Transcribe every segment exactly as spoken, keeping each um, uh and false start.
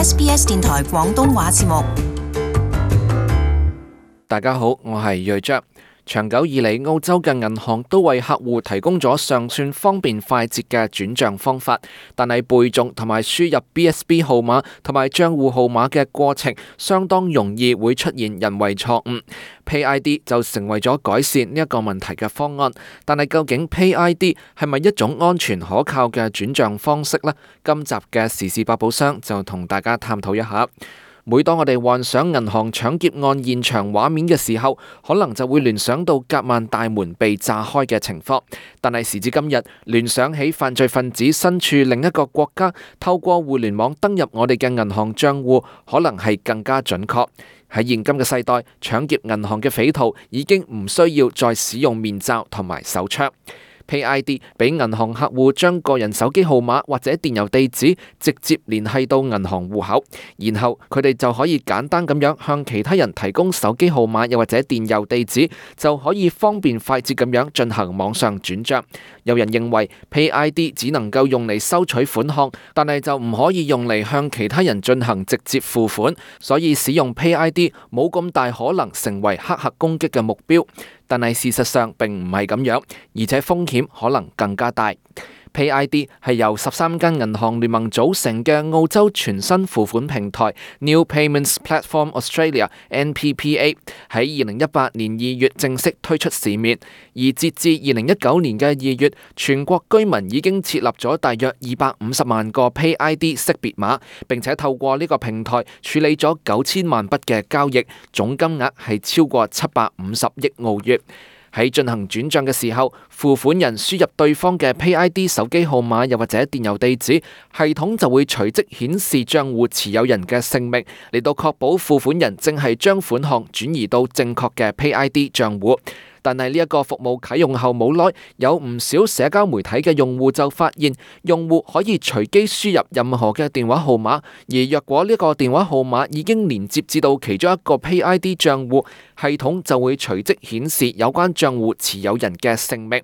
S B S 電台廣東話節目。大家好，我係瑞章。長久以嚟，澳洲嘅銀行都為客戶提供咗尚算方便快捷嘅轉賬方法，但係背誦同埋輸入 B S B 號碼同埋賬戶號碼嘅過程相當容易會出現人為錯誤。Pay I D 就成為咗改善呢一個問題嘅方案，但係究竟 Pay I D 係咪一種安全可靠嘅轉賬方式呢？今集嘅時事百寶箱就同大家探討一下。每當我哋幻想銀行搶劫案現場畫面嘅時候，可能就會聯想到夾萬大門被炸開嘅情況。但係時至今日，聯想起犯罪分子身處另一個國家，透過互聯網登入我哋嘅銀行賬戶，可能係更加準確。喺現今嘅世代，搶劫銀行嘅匪徒已經唔需要再使用面罩同埋手槍。Pay I D 俾銀行客戶將個人手機號碼或者電郵地址直接聯繫到銀行戶口，然後佢哋就可以簡單咁樣向其他人提供手機號碼又或者電郵地址，就可以方便快捷咁樣進行網上轉賬。有人認為 Pay I D 只能夠用嚟收取款項，但係就唔可以用嚟向其他人進行直接付款，所以使用 Pay I D 冇咁大可能成為黑客攻擊嘅目標。但係事實上並唔係咁樣，而且風險可能更加大。Pay I D 係由十三間銀行聯盟組成嘅澳洲全新付款平台 New Payments Platform Australia N P P A 喺二零一八年二月正式推出市面，而截至二零一九年嘅二月，全國居民已經設立咗大約二百五十萬個 Pay I D 識別碼，並且透過呢個平台處理咗九千萬筆嘅交易，總金額係超過七百五十億澳元。喺進行轉賬嘅時候，付款人輸入對方嘅 Pay I D 手機號碼又或者電郵地址，系統就會隨即顯示賬戶持有人嘅姓名，嚟到確保付款人正係將款項轉移到正確嘅 Pay I D 賬戶。但係呢一個服務啟用後冇耐，有唔少社交媒體嘅用戶就發現，用戶可以隨機輸入任何嘅電話號碼，而若果呢個電話號碼已經連接至到其中一個 Pay I D 賬戶，系統就會隨即顯示有關賬戶持有人嘅姓名。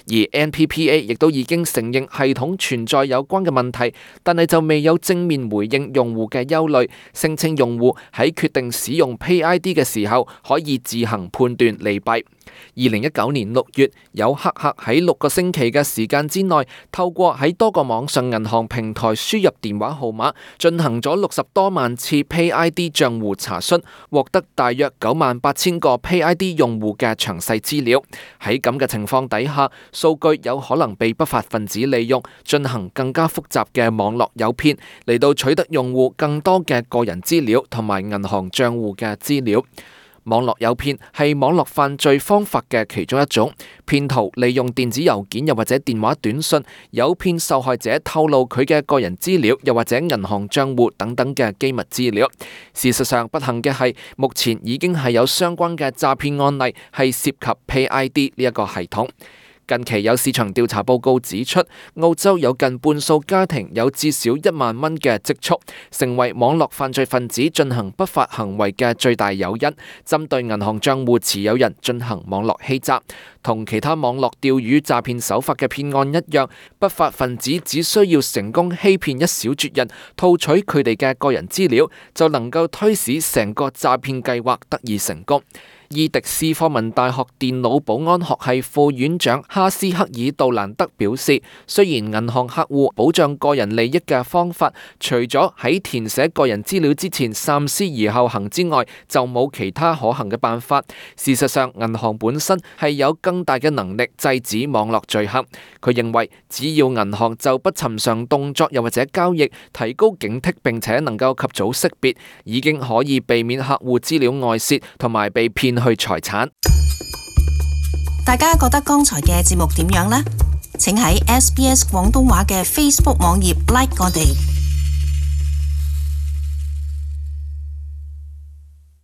而 N P P A 亦都已經承認系統存在有關嘅問題，但係就未有正面回應用戶嘅憂慮，聲稱用戶喺決定使用 Pay I D 嘅時候可以自行判斷利弊。二零一九年六月，有黑客喺六個星期嘅時間之內，透過喺多個網上銀行平台輸入電話號碼，進行咗六十多萬次 Pay I D 賬戶查詢，獲得大約九萬八千個 Pay I D 用戶嘅詳細資料。喺咁嘅情況底下，數據有可能被不法分子利用，進行更加複雜嘅網絡誘騙，嚟到取得用戶更多嘅個人資料同埋銀行賬戶嘅資料。網絡誘騙係網絡犯罪方法嘅其中一種，騙徒利用電子郵件又或者電話短信，誘騙受害者透露佢嘅個人資料又或者銀行賬戶等等嘅機密資料。事實上，不幸嘅係，目前已經係有相關嘅詐騙案例係涉及 Pay I D 呢一個系統。近期有市場調查報告指出，澳洲有近半數家庭有至少一萬蚊嘅積蓄，成為網絡犯罪分子進行不法行為嘅最大誘因。針對銀行賬戶持有人進行網絡欺詐，同其他網絡釣魚詐騙手法嘅騙案一樣，不法分子只需要成功欺騙一小撮人，套取佢哋嘅個人資料，就能夠推使成個詐騙計劃得以成功。伊迪斯科文大學電腦保安學系副院長哈斯克爾杜蘭德表示，雖然銀行客戶保障個人利益嘅方法，除咗喺填寫個人資料之前三思而後行之外，就冇其他可行嘅辦法。事實上，銀行本身係有更大嘅能力制止網絡罪行。佢認為，只要銀行就不尋常動作又或者交易提高警惕，並且能夠及早識別，已經可以避免客戶資料外洩同埋被騙去財產。大家覺得剛才嘅節目點樣呢？請喺 S B S 廣東話嘅 Facebook 網頁 like 我哋。